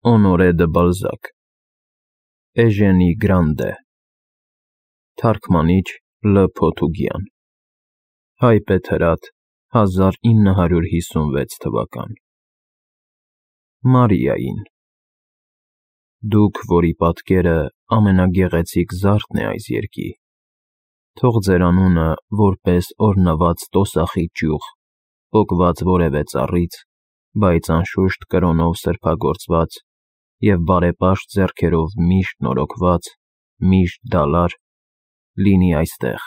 Honoré de Balzac Էժենի Գրանդե Թարգմանիչ Լ. Փոթուգյան Հայ Պետրատ 1956 թվական Մարիային Դուք, որի պատկերը ամենագեղեցիկ զարդն է այս երկի, թող ձեր անունը որպես օրհնված տոսախի ճյուղ, պոկված որևէ ծառից, բայց անշուշտ կրոնով սրբագործված և բարեպաշտ ձեռքերով միշտ նորոգված, միշտ դալար, լինի այստեղ,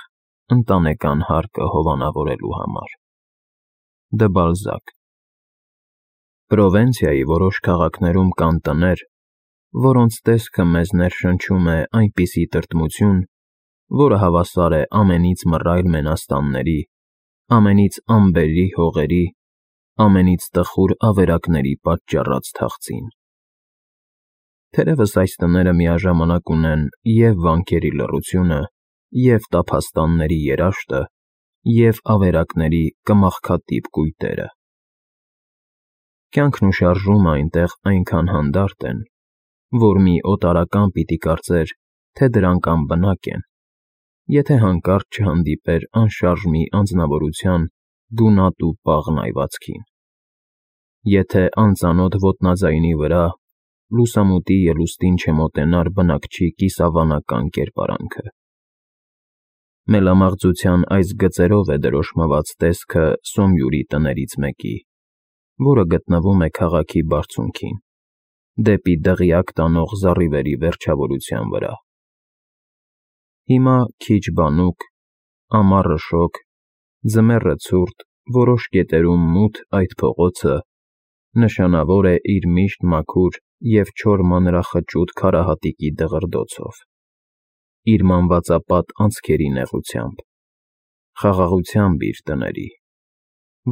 ընտանեկան հարկը հովանավորելու համար։ Դե Բալզակ Պրովենցիայի որոշ քաղաքներում կան տներ, որոնց տեսքը մեզ ներշնչում է այնպիսի տրտմություն, որը հավասար է ամենից մռայլ մենաստանների, ամենից ամբելի հողերի, ամենից տխուր ավերակների պատճառած թախծին։ Թերևս այս տները միաժամանակ ունեն և վանքերի լռությունը, և տափաստանների երաշտը, և ավերակների կմախքատիպ կույտերը։ Կյանքն ու շարժումը այնտեղ այնքան հանդարտ են, որ մի օտարական պիտի կարծեր, թե դրանք անբնակ են, եթե հանկարծ չհանդիպեր անշարժ մի անձնավորության գունատ ու պաղ նայվածքին, եթե անծանոթ ոտնաձայնի վրա լուսամուտի ելուստին չմոտենար բնակչի կիսավանական կերպարանքը։ Մելամաղձության այս գծերով է դրոշմված տեսքը Սոմյուրի տներից մեկի, որը գտնվում է քաղաքի բարձունքին, դեպի դղյակ տանող զառիվերի վերջավորության վրա։ Հիմա քիչ բանուկ, ամառը շոգ, ձմեռը ցուրտ, որոշ կետերում մութ այդ փողոցը նշանավոր է իր միշտ մաքուր և չոր մանրախճուտ քարահատիկի դղրդոցով, իր մանվածապատ անցքերի նեղությամբ, խաղաղությամբ իր տների,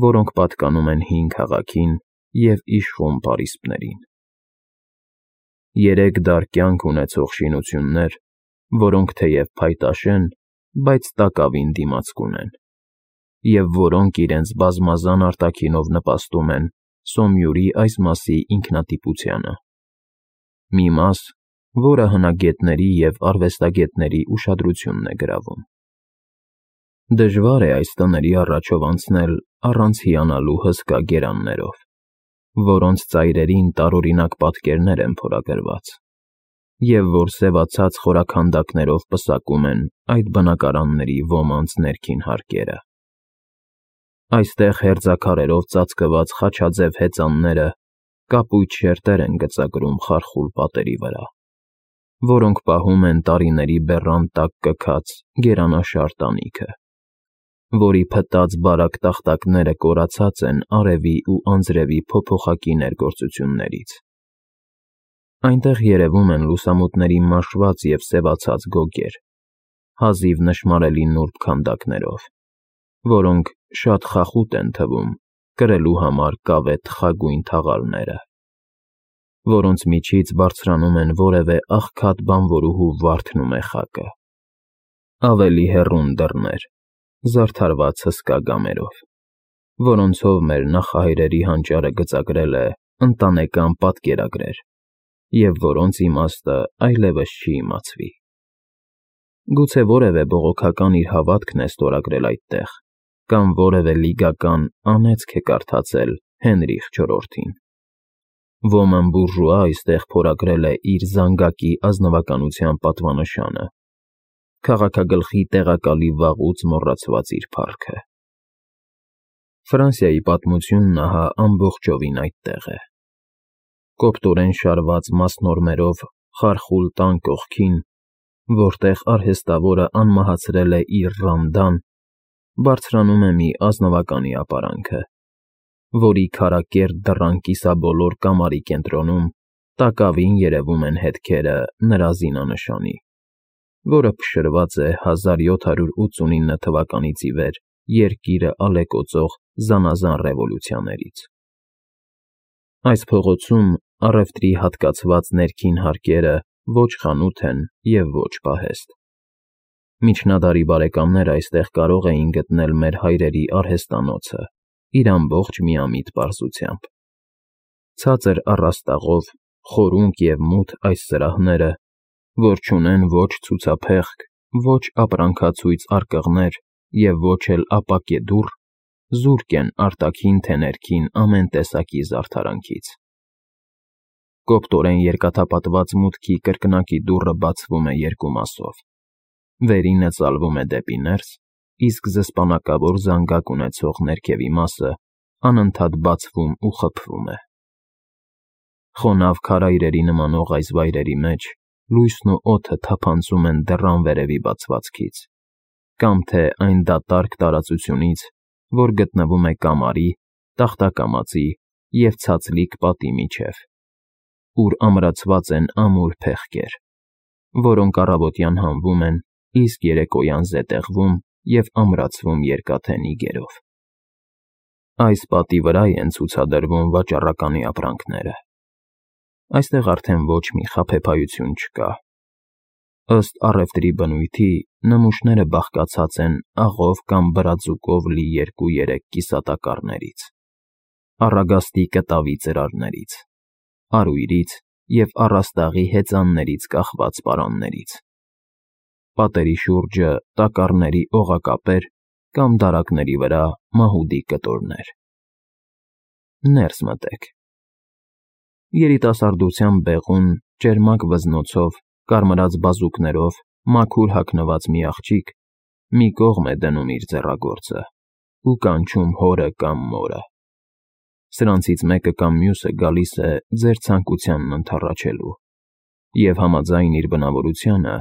որոնք պատկանում են հին քաղաքին և իշխում պարիսպներին։ Երեք դար կյանք ունեցող շինություններ, որոնք թեև փայտաշ են, բայց տակավին դիմացկուն ունեն, և որոնք իրենց բազմազան արտաքինով նպաստում են Սոմյուրի այս մասի ինքնատիպությանը։ Մի մաս, որը հնագետների և արվեստագետների ուշադրությունն է գրավում։ Դժվար է այս տների առաջով անցնել առանց հիանալու հսկա գերաններով, որոնց ծայրերին տարօրինակ պատկերներ են փորագրված, և որ սևացած խորաքանդակներով պսակում են այդ բնակարանների ոմանց ներքին հարկերը։ Այստեղ հերձաքարերով ծածկված խաչաձև հեծանները կապույտ շերտեր են գծագրում խարխուլ պատերի վրա, որոնք պահում են տարիների բեռան տակ կքած գերանաշար տանիքը, որի փտած բարակ տախտակները կորացած են արևի ու անձրևի փոփոխակի ներգործություններից։ Այնտեղ երևում են լուսամուտների մաշված և սևացած գոգեր, հազիվ նշմարելի նուրբ քանդակներով, որոնք շատ խախուտ են թվում կրելու համար կավե թխագույն թաղալները, որոնց միջից բարձրանում են որևէ աղքատ բանվորուհու վարդն ու մեխակը, ավելի հեռուն դռներ, զարդարված հսկա գամերով, որոնցով մեր նախահայրերի հանճարը գծագրել է ընտանեկան պատկերագրեր, և որոնց իմաստը այլևս չի իմացվի։ Գուցե որևէ բողոքական իր հավատքն է ստորագրել այդտեղ, կամ որևէ լիգական անեծք է կարդացել Հենրիխ IV-ին։ Ոմն բուրժուա այստեղ փորագրել է իր զանգակի ազնվականության պատվանշանը, քաղաքագլխի տեղակալի վաղուց մոռացված իր փառքը։ Ֆրանսիայի պատմությունն ահա ամբողջովին այդտեղ է։ Կոպտորեն շարված մասնորմերով խարխուլ տան կողքին, որտեղ արհեստավորը անմահացրել է իր Ռամդան, բարձրանում է մի ազնվականի ապարանքը, որի քարակերտ դռան կիսաբոլոր կամարի կենտրոնում տակավին երևում են հետքերը նրա զինանշանի, որը փշրված է 1789 թվականից ի վեր երկիրը ալեկոծող զանազան ռևոլյուցիաներից։ Այս փողոցում առևտրի հատկացված ներքին հարկերը ոչ խանութ են և ոչ պահեստ։ Միջնադարի բարեկամները այստեղ կարող էին գտնել մեր հայրերի արհեստանոցը իր ամբողջ միամիտ պարզությամբ։ Ցածր առաստաղով, խորունկ և մութ այս սրահները, որ չունեն ոչ ցուցափեղկ, ոչ ապրանքացույց արկղներ և ոչ էլ ապակե դուռ, զուրկ են արտաքին թե ներքին ամեն տեսակի զարդարանքից։ Կոպտորեն երկաթապատված մուտքի կրկնակի դուռը բացվում է երկու մասով. վերինը ծալվում է դեպի ներս, իսկ զսպանակավոր զանգակ ունեցող ներքևի մասը անընդհատ բացվում ու խփվում է։ Խոնավ քարայրերի նմանող այս վայրերի մեջ լույսն ու օդը թափանցում են դռան վերևի բացվածքից, կամ թե այն դատարկ տարածությունից, որ գտնվում է կամարի, տախտակամածի և ցածլիկ պատի միջև, ուր ամրացված են ամուր փեղկեր, որոնք առավոտյան հանվում են, իսկ երեկոյան զետեղվում և ամրացվում երկաթե նիգերով։ Այս պատի վրա են ցուցադրվում վաճառականի ապրանքները։ Այստեղ արդեն ոչ մի խաբեբայություն չկա։ Ըստ առևտրի բնույթի, նմուշները բաղկացած են աղով կամ բրածուկով լի 2-3 կիսատակառներից, առագաստի կտավի ծրարներից, արույրից և առաստաղի հեծաններից կախված պարաններից։ Պատերի շուրջը տակառների օղակապեր կամ դարակների վրա մահուդի կտորներ։ Ներս մտեք։ Երիտասարդության բեղուն, ճերմակ վզնոցով, կարմրած բազուկներով, մաքուր հագնված մի աղջիկ մի կողմ է դնում իր ձեռագործը ու կանչում հորը կամ մորը։ Սրանցից մեկը կամ մյուսը գալիս է ձեր ցանկությանն ընդառաջելու և համաձայն իր բնավորությանը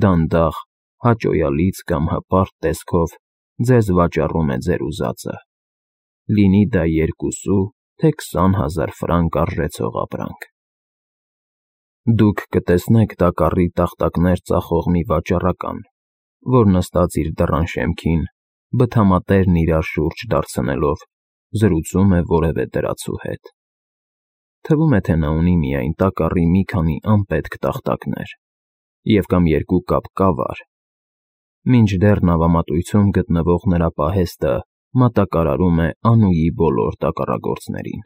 դանդաղ, հաճոյալից կամ հպարտ տեսքով ձեզ վաճառում է ձեր ուզածը, լինի դա 2 թե 20,000 ֆրանկ արժեցող ապրանք։ Դուք կտեսնեք տակառի տախտակներ ծախող մի վաճառական, որ նստած իր դռան շեմքին, բթամատերն իրար շուրջ դարձնելով, զրուցում է որևէ դրացու հետ։ Թվում է, թե նա ունի միայն տակառի մի քանի անպետք տախտակներ և կամ 2 կապ կավար, մինչդեռ նավամատույցում գտնվող նրա պահեստը մատակարարում է Անուի բոլոր տակառագործներին։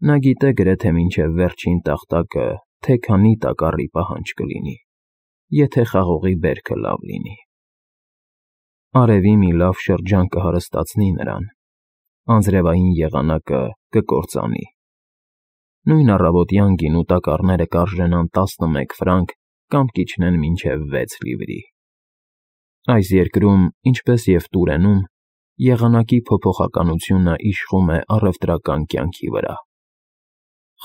Նա գիտե գրեթե մինչև վերջին տախտակը, թե քանի տակառի պահանջ կլինի, եթե խաղողի բերքը լավ լինի։ Արևի մի լավ շրջան կհարստացնի նրան, անձրևային եղանակը կկործանի։ Նույն առավոտյան գինու տակառները կարժենան 11 ֆրանկ կամ կիջնեն մինչև 6 լիվրի։ Այս երկրում, ինչպես և Տուրենում, եղանակի փոփոխականությունը իշխում է առևտրական կյանքի վրա։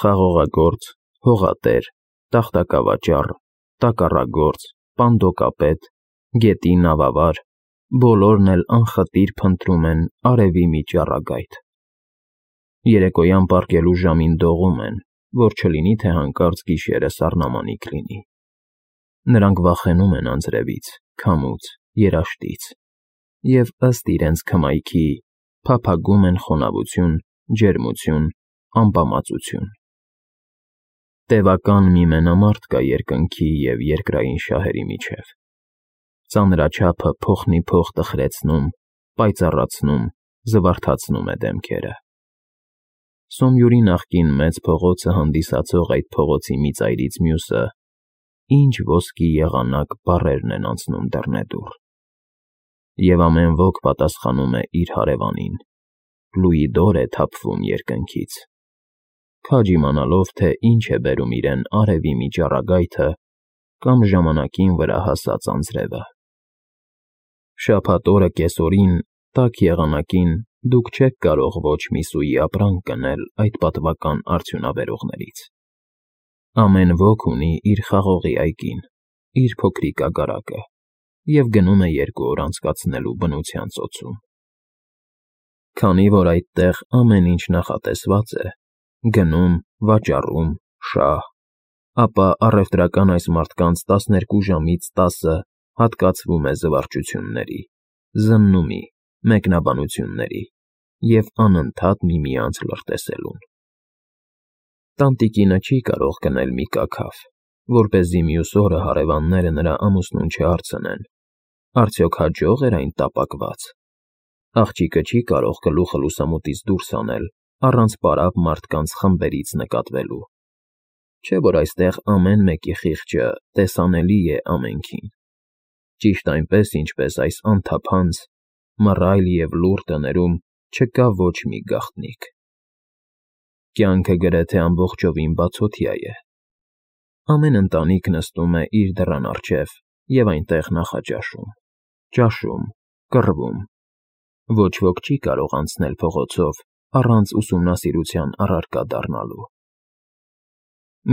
Խաղողագործ, հողատեր, տախտակավաճառ, տակառագործ, պանդոկապետ, գետի նավավար, բոլորն էլ անխտիր փնտրում են արևի մի ճառագայթ։ Երեկոյան պառկելու ժամին դողում են, որ չլինի թե հանկարծ գիշերը սառնամանիք լինի։ Նրանք վախենում են անձրևից, քամուց, երաշտից և ըստ իրենց քմայքի փափագում են խոնավություն, ջերմություն, ամպամածություն։ Տևական մի մենամարտ կա երկնքի և երկրային շահերի միջև։ Ծանրաչափը փոխնիփոխ տխրեցնում, պայծառացնում, զվարթացնում է դեմքերը։ Սոմյուրի նախկին մեծ փողոցը հանդիսացող այդ փողոցի մի ծայրից մյուսը ինչ ոսկի եղանակ բառերն են անցնում դռնեդուռ։ Եվ ամեն ոք պատասխանում է իր հարևանին, լուիդոր է թափվում երկնքից, քաջ իմանալով, թե ինչ է բերում իրեն արևի մի ճառագայթը կամ ժամանակին վրա հասած անձրևը։ Շաբաթ օրը կեսօրին, տաք եղանակին դուք չեք կարող ոչ մի սուի ապրանք գնել այդ պատվական արդյունաբերողներից։ Ամեն ոք ունի իր խաղողի այգին, իր փոքրիկ ագարակը և գնում է 2 օր անցկացնելու բնության ծոցում։ Քանի որ այդտեղ ամեն ինչ նախատեսված է, գնում, վաճառում, շահ, ապա առևտրական այս մարդկանց 12 ժամից 10-ը հատկացվում է զվարճությունների, զննումի, մեկնաբանությունների և անընդհատ միմյանց լրտեսելուն։ Տանտիկինը չի կարող գնել մի կաքավ, որպեսզի մյուս օրը հարևանները նրա ամուսնուն չհարցնեն. արդյոք հաջող էր այն տապակված։ Աղջիկը չի կարող գլուխը լուսամուտից դուրս հանել առանց պարապ մարդկանց խմբերից նկատվելու։ չէ՞ որ այստեղ ամեն մեկի խիղճը տեսանելի է ամենքին, ճիշտ այնպես, ինչպես այս անթափանց, մռայլ և լուռ տներում չկա ոչ մի գաղտնիք։ Կյանքը գրեթե ամբողջովին բացօթյա է։ Ամեն ընտանիք նստում է իր դռան առջև և այնտեղ նախաճաշում, ճաշում, կռվում։ Ոչ ոք չի կարող անցնել փողոցով առանց ուսումնասիրության առարկա դառնալու։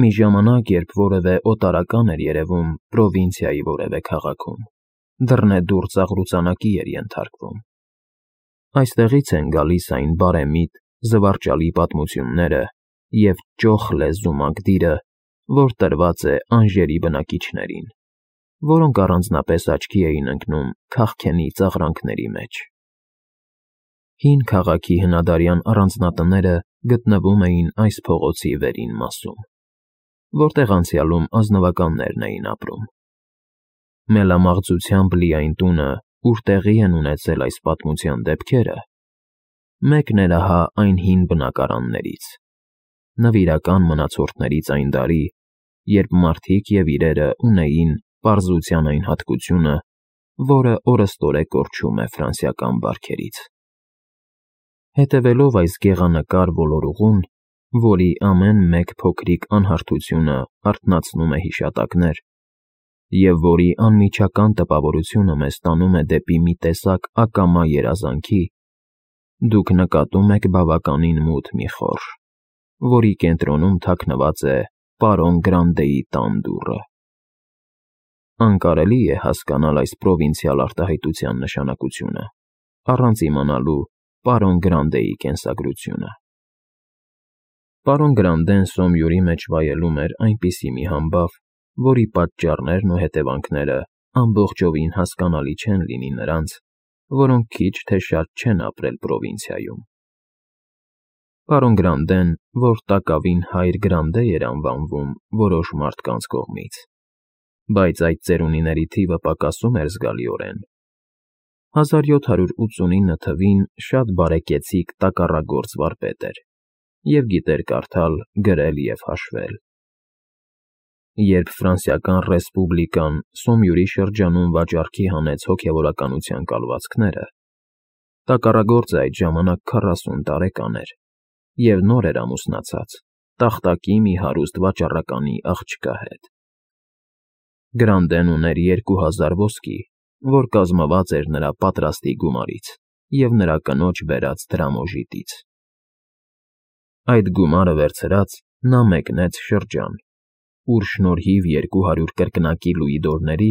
Մի ժամանակ, երբ որևէ օտարական էր երևում պրովինցիայի որևէ քաղաքում, դռնեդուռ ծաղրուծանակի էր ենթարկվում։ Այստեղից են գալիս այն բարեմիտ, զվարճալի պատմությունները և ճոխ լեզու մակդիրը, որ տրված է անժերի բնակիչներին, որոնք առանձնապես աչքի էին ընկնում քաղքենի ծաղրանքների մեջ։ Հին քաղաքի հնադարյան առանձնատները գտնվում էին այս փողոցի վերին մասում, որտեղ անցյալում ազնվականներն էին ապրում։ Մելամաղձությամբ լի այն տունը, ուր տեղի են ունեցել այս պատմության դեպքերը, մեկն էր ահա այն հին բնակարաններից, նվիրական մնացորդներից այն դարի, երբ մարդիկ և իրերը ունեին պարզության այն հատկությունը, որը օրըստօրե կորչում է ֆրանսիական բարքերից։ Հետևելով այս գեղանկար ոլորուղուն, որի ամեն մեկ փոքրիկ անհարթությունը արթնացնում է հիշատակներ, և որի անմիջական տպավորությունը մեզ տանում է դեպի մի տեսակ ակամա երազանքի, դուք նկատում եք բավականին մութ մի խորշ, որի կենտրոնում թաքնված է պարոն Գրանդեի տան դուռը։ Անկարելի է հասկանալ այս պրովինցիալ արտահայտության նշանակությունը, առանց իմանալու պարոն Գրանդեի կենսագրությունը։ Պարոն Գրանդեն Սոմյուրի մեջ վայելում էր այնպիսի մի համբավ, որի պատճառներն ու հետևանքները ամբողջովին հասկանալի չեն լինի նրանց, որոնք քիչ թե շատ չեն ապրել պրովինցիայում։ Պարոն Գրանդեն, որ տակավին հայր Գրանդե էր անվանվում որոշ մարդկանց կողմից, բայց այդ ծերունիների թիվը պակասում էր զգալիորեն։ 1789 թվին շատ բարեկեցիկ տակառագործ վարպետ էր և գիտեր կարդալ, գրել և հաշվել։ Երբ Ֆրանսիական Ռեսպուբլիկան Սոմյուրի շրջանում վաճառքի հանեց հոգևորականության կալվածքները, տակառագործը այդ ժամանակ 40 տարեկան էր և նոր էր ամուսնացած տախտակի մի հարուստ վաճառականի աղջկա հետ։ Գրանդեն ուներ 2000 ոսկի, որ կազմված էր նրա պատրաստի գումարից և նրա կնոջ բերած դրամոժիտից։ Այդ գումարը վերցրած՝ նա մեկնեց շրջան, ուր շնորհիվ 200 կրկնակի լուիդորների,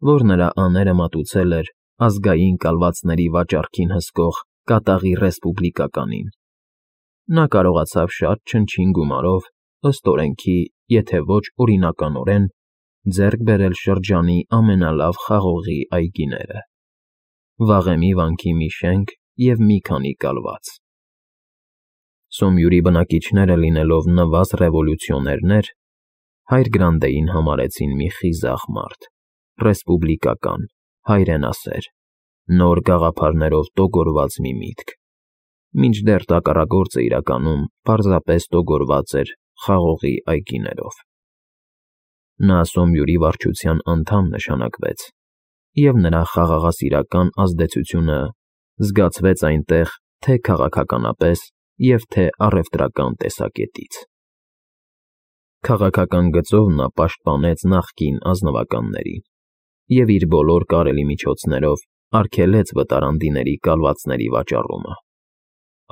որ նրա աները մատուցել էր ազգային կալվածների վաճառքին հսկող կատաղի ռեսպուբլիկականին, նա կարողացավ շատ չնչին գումարով, ըստ օրենքի, եթե ոչ օրինականորեն, ձեռք բերել շրջանի ամենալավ խաղողի այգիները, վաղեմի վանքի մի շենք և մի քանի կալված։ Սոմյուրի բնակիչները լինելով նվազ ռևոլյուցիոներներ, հայր Գրանդեին համարեցին մի խիզախ մարդ, ռեսպուբլիկական, հայրենասեր, նոր գաղափարներով տոգորված մի միտք, մինչդեռ տակառագործը իրականում պարզապես տոգորված էր խաղողի այգիներով։ Նա Սոմյուրի վարչության անդամ նշանակվեց, և նրա խաղաղասիրական ազդեցությունը զգացվեց այնտեղ թե՛ քաղաքականապես և թե՛ առևտրական տեսակետից։ Քաղաքական գծով նա պաշտպանեց նախկին ազնվականներին և իր բոլոր կարելի միջոցներով արգելեց վտարանդիների կալվածների վաճառումը։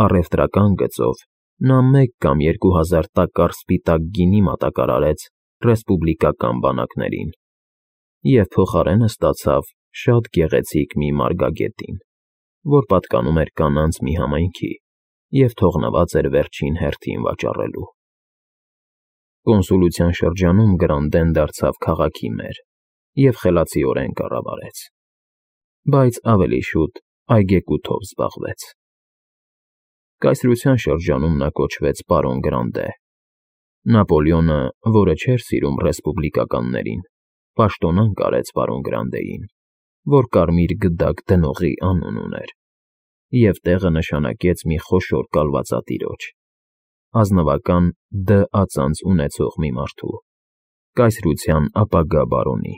Առևտրական գծով նա 1 կամ 2000 տակառ սպիտակ գինի մատակարարեց ռեսպուբլիկական բանակներին և փոխարենը ստացավ շատ գեղեցիկ մի մարգագետին, որ պատկանում էր կանանց մի համայնքի և թողնված էր վերջին հերթին վաճառելու։ Կոնսուլության շրջանում Գրանդեն դարձավ քաղաքի մեր և խելացիորեն կառավարեց, բայց ավելի շուտ այգեկութով զբաղվեց։ Կայսրության շրջանում նա կոչվեց պարոն Գրանդե։ Նապոլեոնը, որը չէր սիրում ռեսպուբլիկականներին, պաշտոնանկ արեց պարոն Գրանդեին, որ կարմիր գդակ դնողի անուն ուներ, և տեղը նշանակեց մի խոշոր կալվածատիրոջ, ազնվական Դ ածանց ունեցող մի մարդու, կայսրության ապագա բարոնի։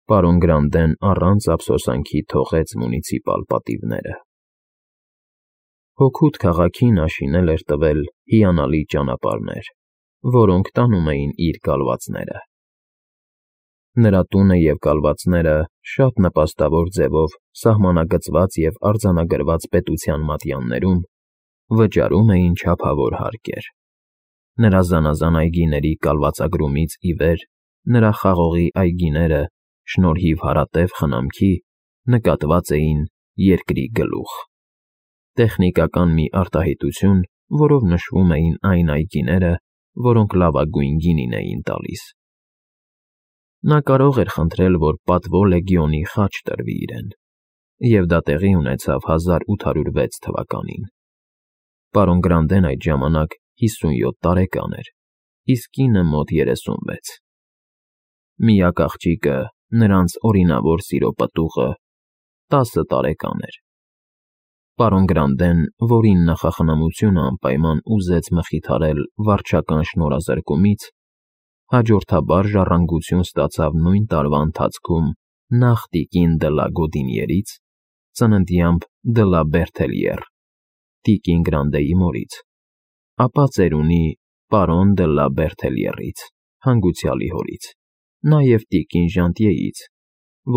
Պարոն Գրանդեն առանց ափսոսանքի թողեց մունիցիպալ պատիվները։ Հոգուտ քաղաքին աշինել էր տվել հիանալի ճանապարհներ, որոնք տանում էին իր կալվածները։ Նրա տունը և կալվածները շատ նպաստավոր ձևով սահմանագծված և արձանագրված պետության մատյաններում վճարում էին չափավոր հարկեր։ Նրա զանազան այգիների կալվածագրումից ի վեր նրա խաղողի այգիները, շնորհիվ հարատև խնամքի, նկատված էին երկրի գլուխ։ Տեխնիկական մի արտահայտություն, որով նշվում էին այն այգիները, որոնք լավագույն գինին էին տալիս։ Նա կարող էր խնդրել, որ պատվո լեգիոնի խաչ տրվի իրեն, և դա տեղի ունեցավ 1806 թվականին։ Պարոն Գրանդեն այդ ժամանակ 57 տարեկան էր, իսկ կինը մոտ 36։ Միակ աղջիկը, նրանց օրինավոր սիրո պտուղը, 10 տարեկան էր։ Պարոն Գրանդեն, որին նախախնամությունը անպայման ուզեց մխիթարել վարչական շնորհազրկումից, հաջորդաբար ժառանգություն ստացավ նույն տարվա ընթացքում նախ տիկին դը լա Գոդինիերից, ծննդյամբ դը լա Բերթելյեր, տիկին Գրանդեի մորից, ապա ծերունի պարոն դը լա Բերթելյերից, հանգուցյալի հորից, նաև տիկին Ժանտիեից,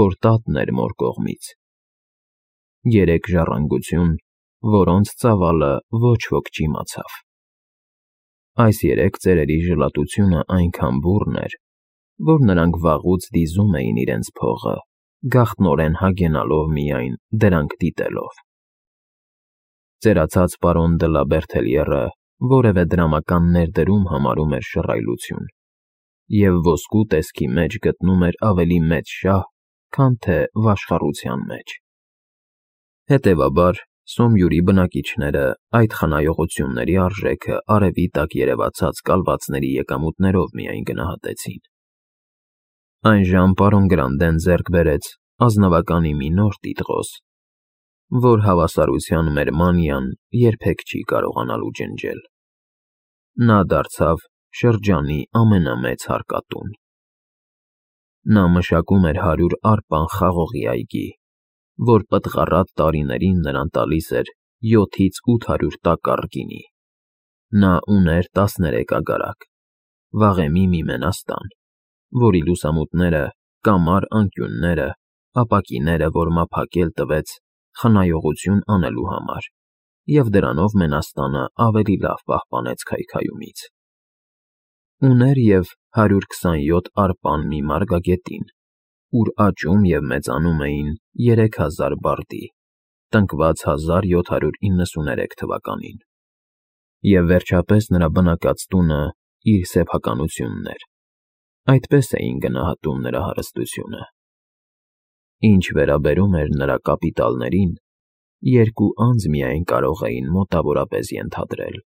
որ տատն էր մոր կողմից։ 3 ժառանգություն, որոնց ծավալը ոչ ոք չիմացավ։ Այս 3 ծերերի ժլատությունը այնքան բուռն էր, որ նրանք վաղուց դիզում էին իրենց փողը, գաղտնորեն հագենալով միայն դրանք դիտելով։ Ծերացած պարոն դը լա Բերթելյերը որևէ դրամական ներդրում համարում էր շռայլություն և ոսկու տեսքի մեջ գտնում էր ավելի մեծ շահ, քան թե վաշխառության մեջ։ Հետևաբար, Սոմյուրի բնակիչները այդ խնայողությունների արժեքը արևի տակ երևացած կալվածների եկամուտներով միայն գնահատեցին։ Այնժամ պարոն Գրանդեն ձեռք բերեց ազնվականի մի նոր տիտղոս, որ հավասարության մեր մանիան երբեք չի կարողանալու ջնջել։ Նա դարձավ շրջանի ամենամեծ հարկատուն։ Նա մշակում էր 100 արպան խաղողի այգի, որ պտղառատ տարիներին նրան տալիս էր 7-ից 800 տակառ գինի։ Նա ուներ 13 ագարակ, վաղեմի մի մենաստան, որի լուսամուտները, կամար անկյունները, ապակիները, որ մափակել տվեց խնայողություն անելու համար, և դրանով մենաստանը ավելի լավ պահպանեց քայքայումից։ Ուներ և 127 արպան մի մարգագետին, ուր աճում և մեծանում էին 3000 բարդի, տնկված 1793 թվականին։ Եվ վերջապես նրա բնակած տունը իր սեփականությունն էր։ Այդպես էին գնահատում նրա հարստությունը։ Ինչ վերաբերում էր նրա կապիտալներին, 2 անձ միայն կարող էին մոտավորապես ենթադրել։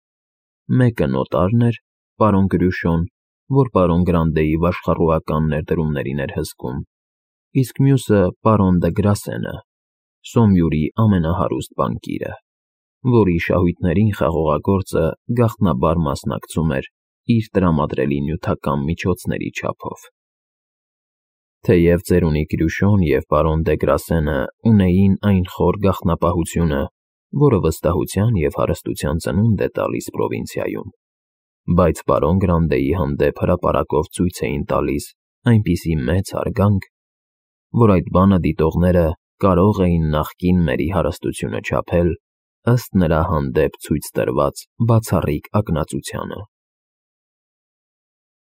Մեկը նոտարն էր, պարոն Գրյուշոն, որ պարոն Գրանդեի վաշխառուական ներդրումներին էր հսկում, իսկ մյուսը պարոն դը Գրասենը, Սոմյուրի ամենահարուստ բանկիրը, որի շահույթներին խաղողագործը գաղտնաբար մասնակցում էր իր տրամադրելի նյութական միջոցների չափով։ Թեև ծերունի Գրյուշոն և պարոն դե Գրասենը ունեին այն խոր գաղտնապահությունը, որը վստահության և հարստության ծնունդ է տալիս պրովինցիայում, բայց պարոն Գրանդեի հանդեպ հրապարակով ցույց էին տալիս այնպիսի մեծ հարգանք, որ այդ բանը դիտողները կարող էին նախկին մերի հարստությունը չափել ըստ նրա հանդեպ ցույց տրված բացառիկ ակնածությանը։